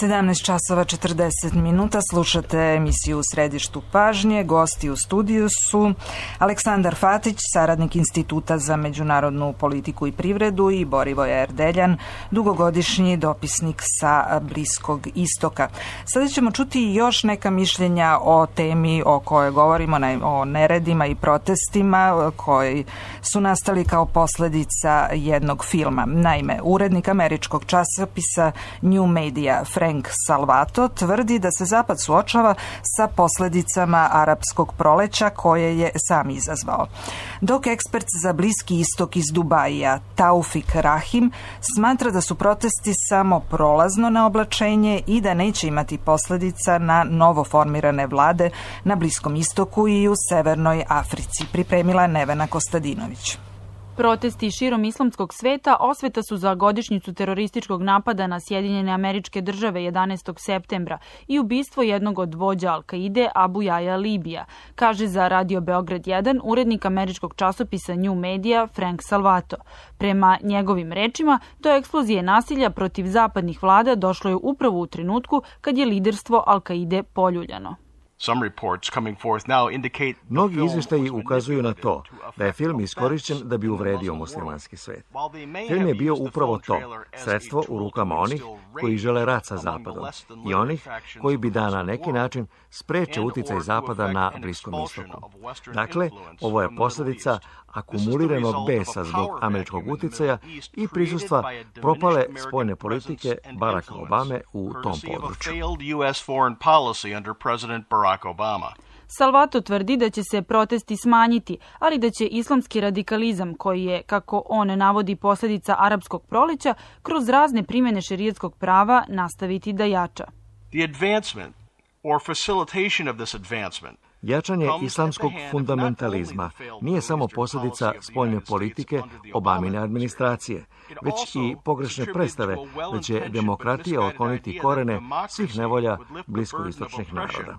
sedamnaest časova četrdeset minuta, slušate emisiju U središtu pažnje. Gosti u studiju su Aleksandar Fatić, saradnik Instituta za međunarodnu politiku i privredu, i Borivoje Erdeljan, dugogodišnji dopisnik sa Bliskog istoka. Sada ćemo čuti još neka mišljenja o temi o kojoj govorimo, o neredima i protestima koji su nastali kao posledica jednog filma. Naime, urednik američkog časopisa New Media Frank Salvato tvrdi da se Zapad suočava sa posljedicama arapskog proleća koje je sam izazvao. Dok ekspert za Bliski istok iz Dubaija Taufik Rahim smatra da su protesti samo prolazno naoblačenje i da neće imati posljedica na novo formirane vlade na Bliskom istoku i u Severnoj Africi, pripremila Nevena Kostadinović. Protesti širom islamskog sveta osveta su za godišnjicu terorističkog napada na Sjedinjene Američke Države jedanaestog septembra i ubistvo jednog od vođa Al-Kaide Abu Jaja Libija, kaže za Radio Beograd jedan urednik američkog časopisa New Media Frank Salvato. Prema njegovim rečima, do eksplozije nasilja protiv zapadnih vlada došlo je upravo u trenutku kad je liderstvo Al-Kaide poljuljano. Mnogi izvještaji ukazuju na to da je film iskorišćen da bi uvredio muslimanski svet. Film je bio upravo to, sredstvo u rukama onih koji žele rat sa Zapadom i onih koji bi da na neki način spreče uticaj Zapada na Bliskom istoku. Dakle, ovo je posljedica akumuliranog besa zbog američkog uticaja i prisustva propale spoljne politike Baracka Obame u tom području. Salvato tvrdi da će se protesti smanjiti, ali da će islamski radikalizam, koji je, kako on navodi, posljedica arapskog proleća, kroz razne primjene šerijatskog prava nastaviti da jača. Jačanje islamskog fundamentalizma nije samo posljedica spoljne politike Obamine administracije, već i pogrešne predstave da će demokratija otkloniti korene svih nevolja bliskoistočnih naroda.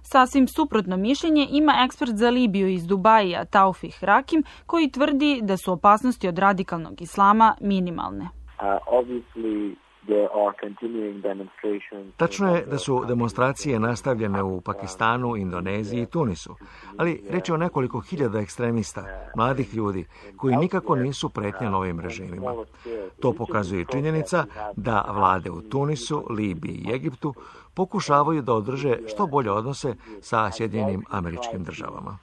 Sasvim suprotno mišljenje ima ekspert za Libiju iz Dubaija, Taufik Rakim, koji tvrdi da su opasnosti od radikalnog islama minimalne. Tačno je da su demonstracije nastavljene u Pakistanu, Indoneziji i Tunisu, ali reč je o nekoliko hiljada ekstremista, mladih ljudi, koji nikako nisu pretnja novim režimima. To pokazuje činjenica da vlade u Tunisu, Libiji i Egiptu pokušavaju da održe što bolje odnose sa Sjedinjenim Američkim Državama.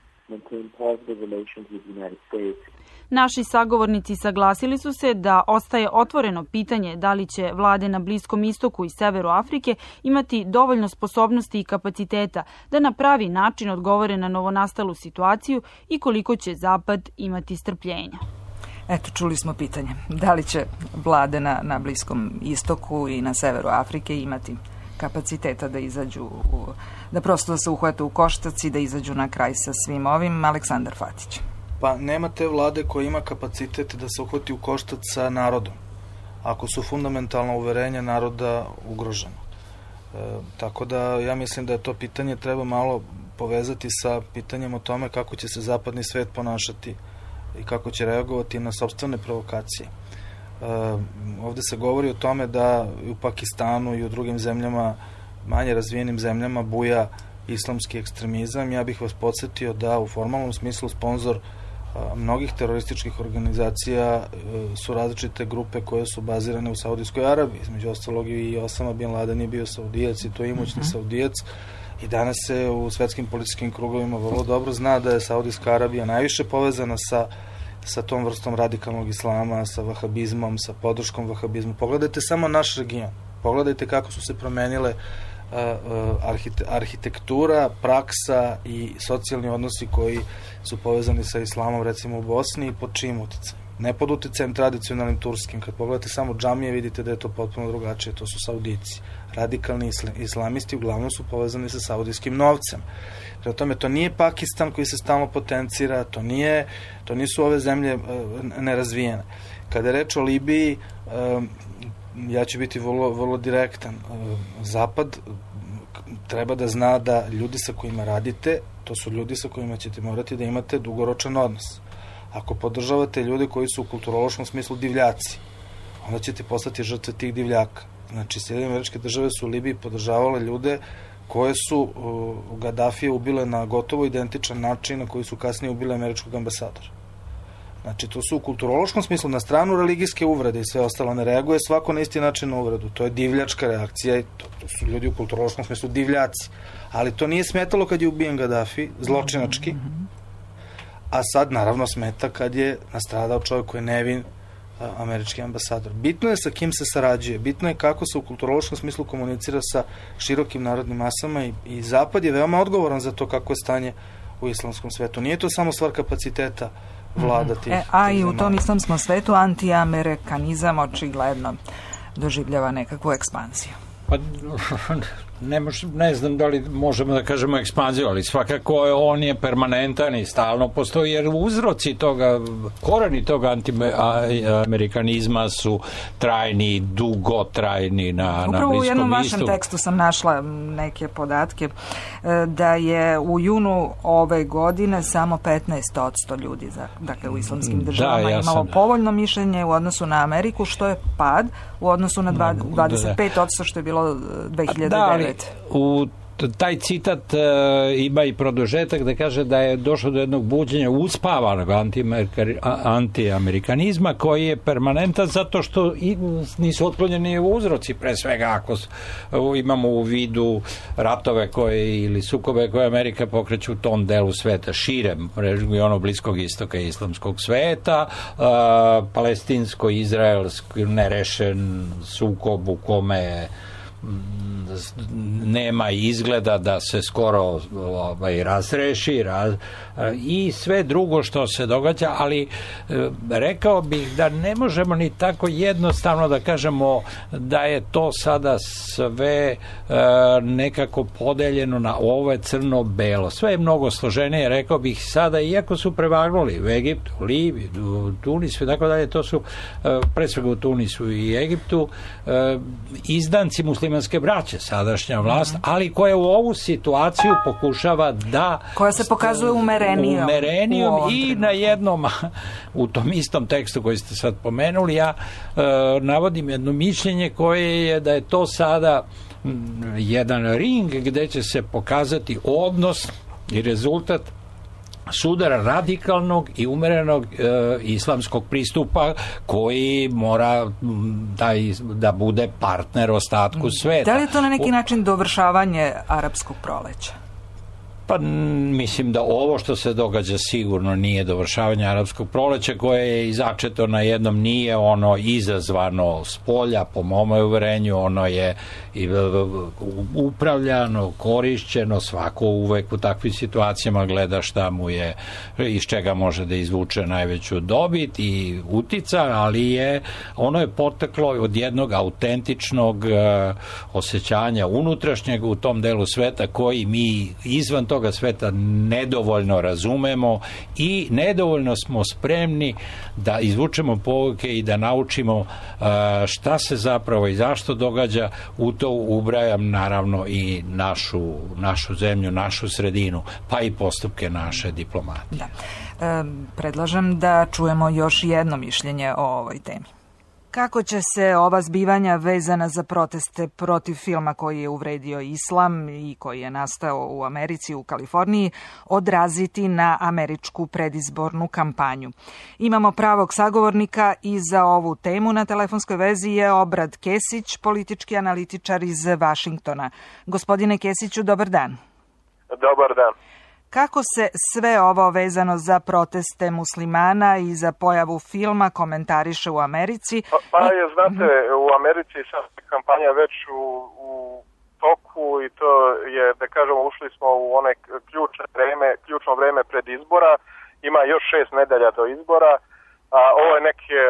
Naši sagovornici saglasili su se da ostaje otvoreno pitanje da li će vlade na Bliskom istoku i severu Afrike imati dovoljno sposobnosti i kapaciteta da na pravi način odgovore na novonastalu situaciju i koliko će Zapad imati strpljenja. Eto, čuli smo pitanje. Da li će vlade na, na Bliskom istoku i na severu Afrike imati kapaciteta da izađu, u, da prosto da se uhvate u koštac i da izađu na kraj sa svim ovim? Aleksandar Fatić. Pa nema te vlade koja ima kapacitet da se uhvati u koštac sa narodom, ako su fundamentalna uverenja naroda ugrožena. E, tako da ja mislim da je to pitanje treba malo povezati sa pitanjem o tome kako će se zapadni svet ponašati i kako će reagovati na sopstvene provokacije. E, ovde se govori o tome da u Pakistanu i u drugim zemljama, manje razvijenim zemljama, buja islamski ekstremizam. Ja bih vas podsjetio da u formalnom smislu sponzor mnogih terorističkih organizacija su različite grupe koje su bazirane u Saudijskoj Arabiji. Između ostalog i Osama Bin Laden je bio Saudijac i to je imućni uh-huh. Saudijac. I danas se u svetskim političkim krugovima vrlo dobro zna da je Saudijska Arabija najviše povezana sa, sa tom vrstom radikalnog islama, sa vahabizmom, sa podrškom vahabizmu. Pogledajte samo naš region. Pogledajte kako su se promenile arhitektura, praksa i socijalni odnosi koji su povezani sa islamom, recimo u Bosni, i pod čijim uticajem. Ne pod uticajem tradicionalnim turskim. Kad pogledate samo džamije, vidite da je to potpuno drugačije. To su Saudici. Radikalni islamisti uglavnom su povezani sa saudijskim novcem. Prema tome, to nije Pakistan koji se stalno potencira, to, nije, to nisu ove zemlje nerazvijene. Kada je reč o Libiji, ja ću biti vrlo, vrlo direktan. Zapad treba da zna da ljudi sa kojima radite, to su ljudi sa kojima ćete morati da imate dugoročan odnos. Ako podržavate ljude koji su u kulturološkom smislu divljaci, onda ćete postati žrtve tih divljaka. Znači, Sjedinjene Američke Države su u Libiji podržavale ljude koje su uh, Gaddafije ubile na gotovo identičan način na koji su kasnije ubile američkog ambasadora. Znači, to su u kulturološkom smislu, na stranu religijske uvrede i sve ostalo, ne reaguje svako na isti način na uvredu. To je divljačka reakcija i to, to su ljudi u kulturološkom smislu divljaci. Ali to nije smetalo kad je ubijen Gaddafi, zločinački, a sad naravno smeta kad je nastradao čovjek koji je nevin, američki ambasador. Bitno je sa kim se sarađuje, bitno je kako se u kulturološkom smislu komunicira sa širokim narodnim masama i, i Zapad je veoma odgovoran za to kako je stanje u islamskom svetu. Nije to samo stvar kapaciteta vlada tih. E, a i u tom islamskom svetu antiamerikanizam očigledno doživljava nekakvu ekspanziju. Pa ne, mož, ne znam da li možemo da kažemo ekspanziju, ali svakako on je permanentan i stalno postoji, jer uzroci toga, koreni toga antiamerikanizma su trajni, dugotrajni na, na Bliskom istoku. Upravo u jednom vašem tekstu sam našla neke podatke da je u junu ove godine samo petnaest posto ljudi, za, dakle u islamskim državama, da, ja imalo sam... povoljno mišljenje u odnosu na Ameriku, što je pad u odnosu na dvadeset pet posto što je bilo dve hiljade devete. Da, u taj citat uh, ima i produžetak da kaže da je došlo do jednog buđenja uspavanog antiamerikanizma koji je permanentan zato što i, nisu otklonjeni uzroci, pre svega ako imamo u vidu ratove koje ili sukobe koje Amerika pokreće u tom delu sveta, širem regionu Bliskog istoka i islamskog sveta, uh, palestinsko-izraelski nerešen sukob u kome nema izgleda da se skoro ovaj, razreši raz, i sve drugo što se događa, ali rekao bih da ne možemo ni tako jednostavno da kažemo da je to sada sve nekako podeljeno na ovo je crno-belo. Sve je mnogo složenije, rekao bih sada, iako su prevagnuli u Egiptu, Libiji, u Tunisu i tako dalje, to su pre svega u Tunisu i Egiptu izdanci muslimanske braće, sadašnja vlast, ali koja u ovu situaciju pokušava da... Koja se pokazuje umerenijom. Umerenijom i na jednom, u tom istom tekstu koji ste sad pomenuli, ja e, navodim jedno mišljenje koje je da je to sada m, jedan ring gde će se pokazati odnos i rezultat sudara radikalnog i umerenog e, islamskog pristupa koji mora da, da bude partner ostatku sveta. Da li je to na neki način dovršavanje arapskog proleća? Pa mislim da ovo što se događa sigurno nije dovršavanje arapskog proleća koje je izačeto na jednom, nije ono izazvano s polja, po mom uverenju, ono je upravljano, korišćeno, svako uvek u takvim situacijama gleda šta mu je, iz čega može da izvuče najveću dobit i utica, ali je ono je poteklo od jednog autentičnog uh, osjećanja unutrašnjeg u tom delu sveta koji mi izvan toga sveta nedovoljno razumemo i nedovoljno smo spremni da izvučemo pouke i da naučimo uh, šta se zapravo i zašto događa. U to ubrajam naravno i našu, našu zemlju, našu sredinu, pa i postupke naše diplomatije. Da. E, predlažem da čujemo još jedno mišljenje o ovoj temi. Kako će se ova zbivanja vezana za proteste protiv filma koji je uvredio islam i koji je nastao u Americi, u Kaliforniji, odraziti na američku predizbornu kampanju? Imamo pravog sagovornika i za ovu temu. Na telefonskoj vezi je Obrad Kesić, politički analitičar iz Vašingtona. Gospodine Kesiću, dobar dan. Dobar dan. Kako se sve ovo vezano za proteste muslimana i za pojavu filma komentariše u Americi? Pa, pa je, znate, u Americi sad kampanja već u, u toku i to je, da kažemo, ušli smo u one ključno vreme, ključno vreme pred izbora. Ima još šest nedelja do izbora. A, ovo je neke,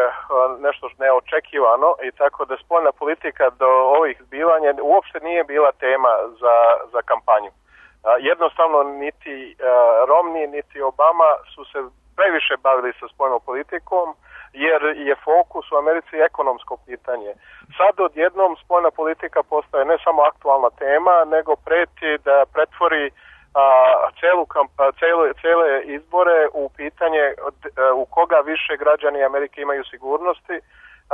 nešto neočekivano i tako da spoljna politika do ovih zbivanja uopšte nije bila tema za, za kampanju. Jednostavno niti Romney niti Obama su se previše bavili sa spoljnom politikom jer je fokus u Americi ekonomsko pitanje. Sad odjednom spoljna politika postaje ne samo aktualna tema nego preti da pretvori a, celu, celu, cele izbore u pitanje u koga više građani Amerike imaju sigurnosti,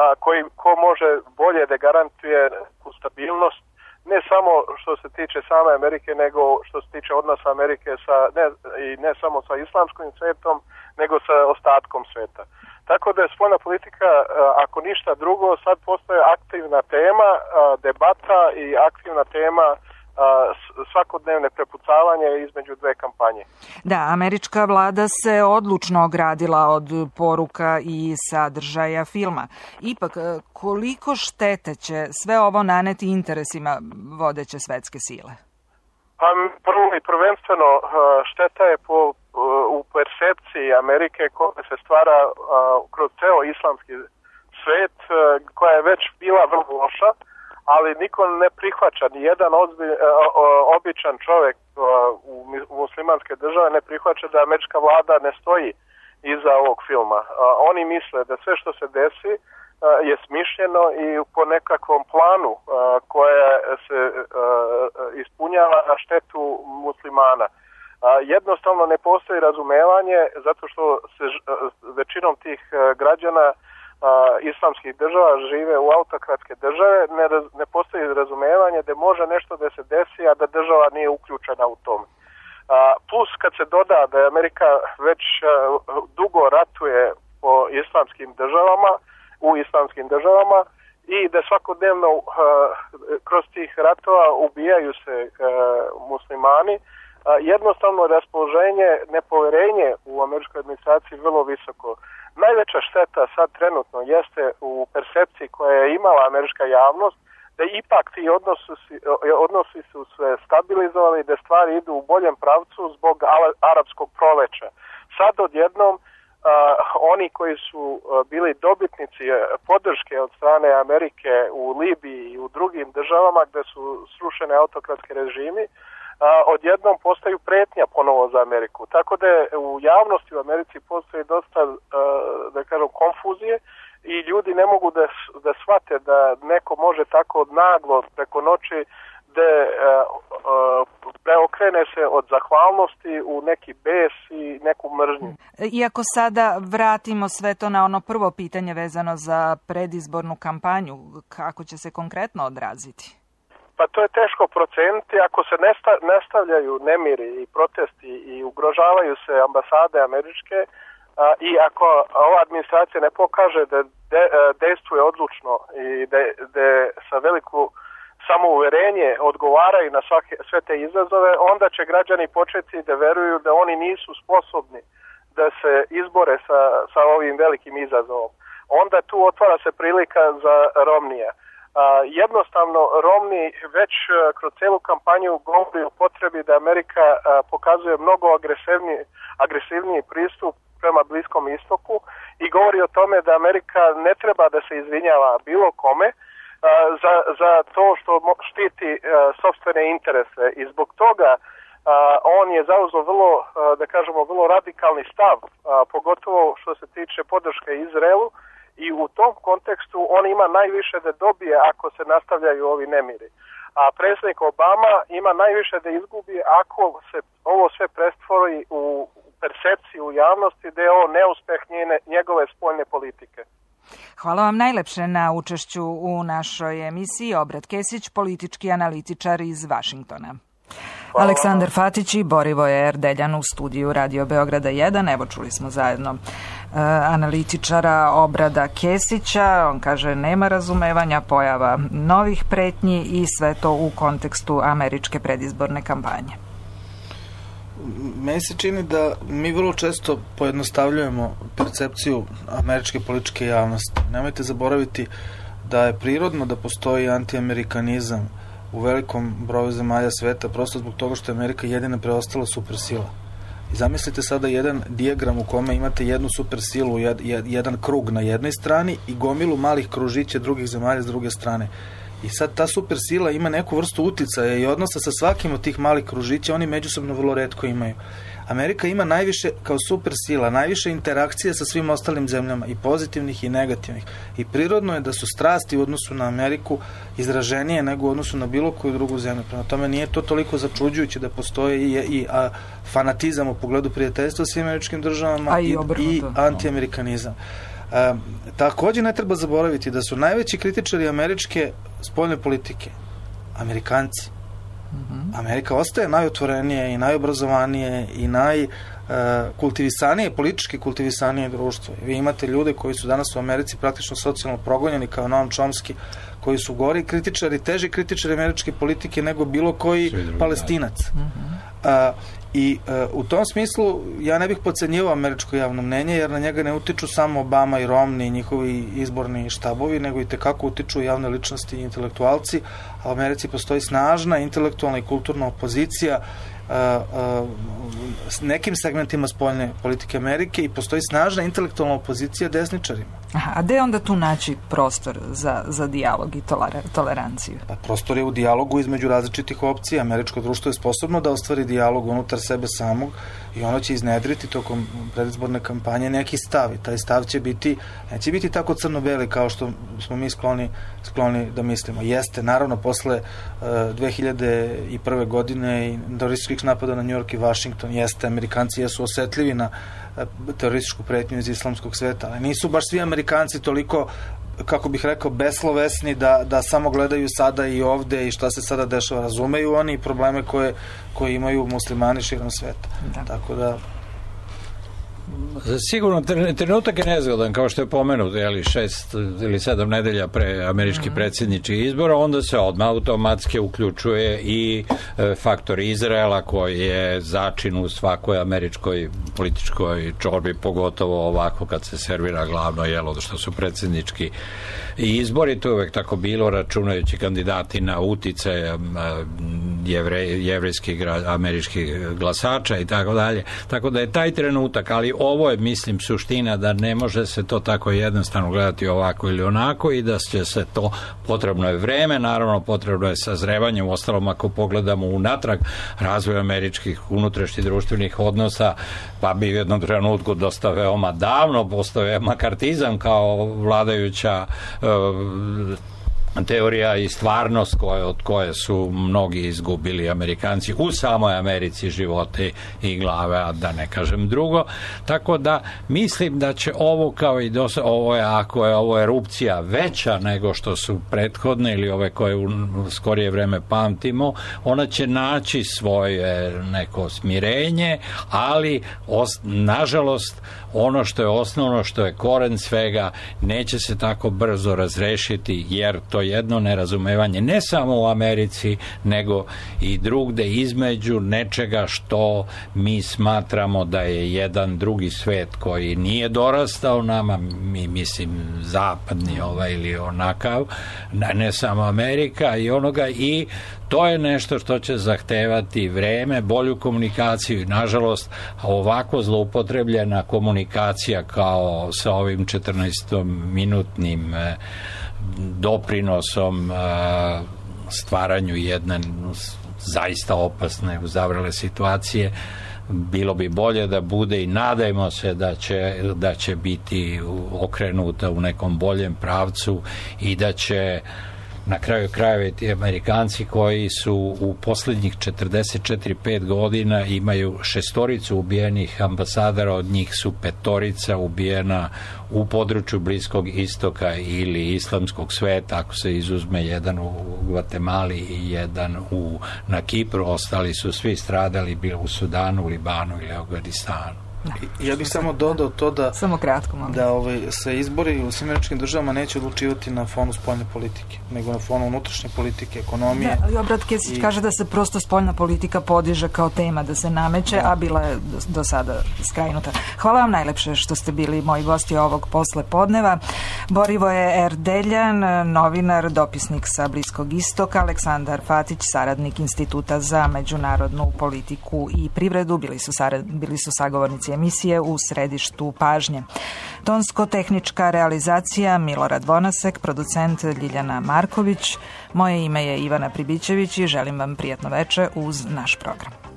a, koji, ko može bolje da garantuje stabilnost ne samo što se tiče same Amerike, nego što se tiče odnosa Amerike sa, ne, i ne samo sa islamskim svetom, nego sa ostatkom sveta. Tako da je spoljna politika, ako ništa drugo, sad postaje aktivna tema, debata i aktivna tema svakodnevne prepucavanje između dve kampanje. Da, američka vlada se odlučno ogradila od poruka i sadržaja filma. Ipak, koliko štete će sve ovo naneti interesima vodeće svetske sile? Pa prvo i prvenstveno šteta je po, u percepciji Amerike koja se stvara kroz ceo islamski svet, koja je već bila vrlo loša, ali niko ne prihvaća, ni jedan ozbilj, običan čovjek u muslimanske države ne prihvaća da američka vlada ne stoji iza ovog filma. Oni misle da sve što se desi je smišljeno i po nekakvom planu koje se ispunjava na štetu muslimana. Jednostavno ne postoji razumevanje zato što se većinom tih građana islamskih država žive u autokratske države, ne, raz, ne postoji razumevanje raspoloženje da može nešto da se desi, a da država nije uključena u tome. A, plus kad se doda da je Amerika već a, dugo ratuje po islamskim državama, u islamskim državama i da svakodnevno a, kroz tih ratova ubijaju se a, muslimani, a, jednostavno raspoloženje, nepoverenje u američkoj administraciji vrlo visoko. Najveća šteta sad trenutno jeste u percepciji koja je imala američka javnost, da ipak ti odnosi, odnosi su se stabilizovali, da stvari idu u boljem pravcu zbog arapskog proleća. Sad odjednom uh, oni koji su uh, bili dobitnici podrške od strane Amerike u Libiji i u drugim državama gde su srušene autokratske režimi, Uh, odjednom postaju pretnja ponovo za Ameriku. Tako da je u javnosti u Americi postoji dosta, uh, da kažem, konfuzije i ljudi ne mogu da, da shvate da neko može tako naglo preko noći da uh, uh, preokrene se od zahvalnosti u neki bes i neku mržnju. Iako sada vratimo sve to na ono prvo pitanje vezano za predizbornu kampanju, kako će se konkretno odraziti? Pa to je teško proceniti ako se nesta, nastavljaju nemiri i protesti i ugrožavaju se ambasade američke a, i ako ova administracija ne pokaže da de, dejstvuje odlučno i da, da sa veliku samouverenje odgovaraju na svake, sve te izazove, onda će građani početi da veruju da oni nisu sposobni da se izbore sa, sa ovim velikim izazovom. Onda tu otvara se prilika za Romnija. Uh, jednostavno Romney već uh, kroz celu kampanju govori o potrebi da Amerika uh, pokazuje mnogo agresivniji, agresivniji pristup prema Bliskom istoku i govori o tome da Amerika ne treba da se izvinjava bilo kome uh, za, za to što štiti uh, sopstvene interese i zbog toga uh, on je zauzeo vrlo, uh, da kažemo, vrlo radikalni stav, uh, pogotovo što se tiče podrške Izraelu. I u tom kontekstu on ima najviše da dobije ako se nastavljaju ovi nemiri. A predsjednik Obama ima najviše da izgubi ako se ovo sve prestvori u percepciju u javnosti da je ovo neuspeh njene, njegove spoljne politike. Hvala vam najlepše na učešću u našoj emisiji. Obrad Kesić, politički analitičar iz Vašingtona. Hvala. Aleksandar Fatić i Borivoje Erdeljan u studiju Radio Beograda jedan. Evo, čuli smo zajedno e, analitičara Obrada Kesića. On kaže nema razumevanja, pojava novih pretnji i sve to u kontekstu američke predizborne kampanje. Meni se čini da mi vrlo često pojednostavljujemo percepciju američke političke javnosti. Nemojte zaboraviti da je prirodno da postoji antiamerikanizam u velikom broju zemalja sveta, prosto zbog toga što je Amerika jedina preostala supersila. I zamislite sada jedan dijagram u kome imate jednu supersilu, jed, jed, jedan krug na jednoj strani i gomilu malih kružića drugih zemalja s druge strane. I sad ta supersila ima neku vrstu uticaja i odnosa sa svakim od tih malih kružića, oni međusobno vrlo retko imaju. Amerika ima najviše, kao supersila, najviše interakcije sa svim ostalim zemljama, i pozitivnih i negativnih. I prirodno je da su strasti u odnosu na Ameriku izraženije nego u odnosu na bilo koju drugu zemlju. Prema tome nije to toliko začuđujuće da postoji i, i a, fanatizam u pogledu prijateljstva svim američkim državama i, i, i antiamerikanizam. A, također ne treba zaboraviti da su najveći kritičari američke spoljne politike Amerikanci. Amerika ostaje najotvorenije i najobrazovanije i najkultivisanije, uh, politički kultivisanije društvo. Vi imate ljude koji su danas u Americi praktično socijalno progonjeni kao Noam Chomsky, koji su gori kritičari, teži kritičari američke politike nego bilo koji Palestinac. Uh, I uh, u tom smislu ja ne bih podcenjivao američko javno mnenje, jer na njega ne utiču samo Obama i Romney i njihovi izborni štabovi, nego i tekako utiču javne ličnosti i intelektualci. A u Americi postoji snažna intelektualna i kulturna opozicija uh, uh, s nekim segmentima spoljne politike Amerike i postoji snažna intelektualna opozicija desničarima. Aha, a gde onda tu naći prostor za, za dijalog i toleranciju? Pa prostor je u dijalogu između različitih opcija. Američko društvo je sposobno da ostvari dijalog unutar sebe samog i ono će iznedriti tokom predizborne kampanje neki stav i taj stav će biti, neće biti tako crno-beli kao što smo mi skloni, skloni da mislimo. Jeste, naravno, posle uh, dve hiljade prve. godine i terorističkih napada na New York i Washington, jeste, Amerikanci jesu osetljivi na terorističku pretnju iz islamskog sveta, ali nisu baš svi Amerikanci toliko kako bih rekao, beslovesni, da, da samo gledaju sada i ovde i šta se sada dešava. Razumeju oni probleme koje, koje imaju muslimani širom sveta. Da. Tako da... Sigurno, trenutak je nezgodan, kao što je pomenut, jeli, šest ili sedam nedelja pre američki mm. predsjedničkih izbora, onda se odmah automatski uključuje i e, faktor Izraela, koji je začin u svakoj američkoj političkoj čorbi, pogotovo ovako kad se servira glavno jelo, što su predsjednički izbori. To je uvek tako bilo, računajući kandidati na utice jevre, jevrejskih američkih glasača i tako dalje. Tako da je taj trenutak, ali ovo je, mislim, suština da ne može se to tako jednostavno gledati ovako ili onako i da će se to, potrebno je vreme, naravno potrebno je sazrevanje. U ostalom, ako pogledamo unatrag razvoj američkih unutrašnjih društvenih odnosa, pa bi u jednom trenutku dosta veoma davno postao makartizam kao vladajuća uh, teorija i stvarnost koje, od koje su mnogi izgubili Amerikanci u samoj Americi živote i glave, a da ne kažem drugo. Tako da mislim da će ovo kao i do ovo je, ako je ovo erupcija veća nego što su prethodne ili ove koje u skorije vreme pamtimo, ona će naći svoje neko smirenje, ali os, nažalost ono što je osnovno, što je koren svega, neće se tako brzo razrešiti, jer to jedno nerazumevanje ne samo u Americi, nego i drugde između nečega što mi smatramo da je jedan drugi svet koji nije dorastao nama, mi mislim zapadni ovaj ili onakav, ne samo Amerika i onoga, i to je nešto što će zahtevati vreme, bolju komunikaciju i nažalost ovako zloupotrebljena komunikacija kao sa ovim četrnaestominutnim eh, doprinosom eh, stvaranju jedne zaista opasne uzavrele situacije, bilo bi bolje da bude i nadajmo se da će, da će biti okrenuta u nekom boljem pravcu i da će na kraju krajeva ti Amerikanci koji su u posljednjih četrdeset četiri pet godina imaju šestoricu ubijenih ambasadora, od njih su petorica ubijena u području Bliskog istoka ili islamskog sveta, ako se izuzme jedan u Gvatemali i jedan u, na Kipru, ostali su svi stradali bilo u Sudanu, Libanu ili Afganistanu. I, ja bih samo dodao to da samo kratko, da ovaj, se izbori u svim američkim državama neće odlučivati na fonu spoljne politike, nego na fonu unutrašnje politike, ekonomije. Da, Obrat Kesić i... kaže da se prosto spoljna politika podiže kao tema, da se nameće, da. a bila je do, do sada skrajnuta. Hvala vam najlepše što ste bili moji gosti ovog posle podneva. Borivoje Erdeljan, novinar, dopisnik sa Bliskog istoka, Aleksandar Fatić, saradnik Instituta za međunarodnu politiku i privredu, bili su, sarad, bili su sagovornici emisije U središtu pažnje. Tonsko-tehnička realizacija Milorad Vonasek, producent Ljiljana Marković. Moje ime je Ivana Pribićević i želim vam prijatno veče uz naš program.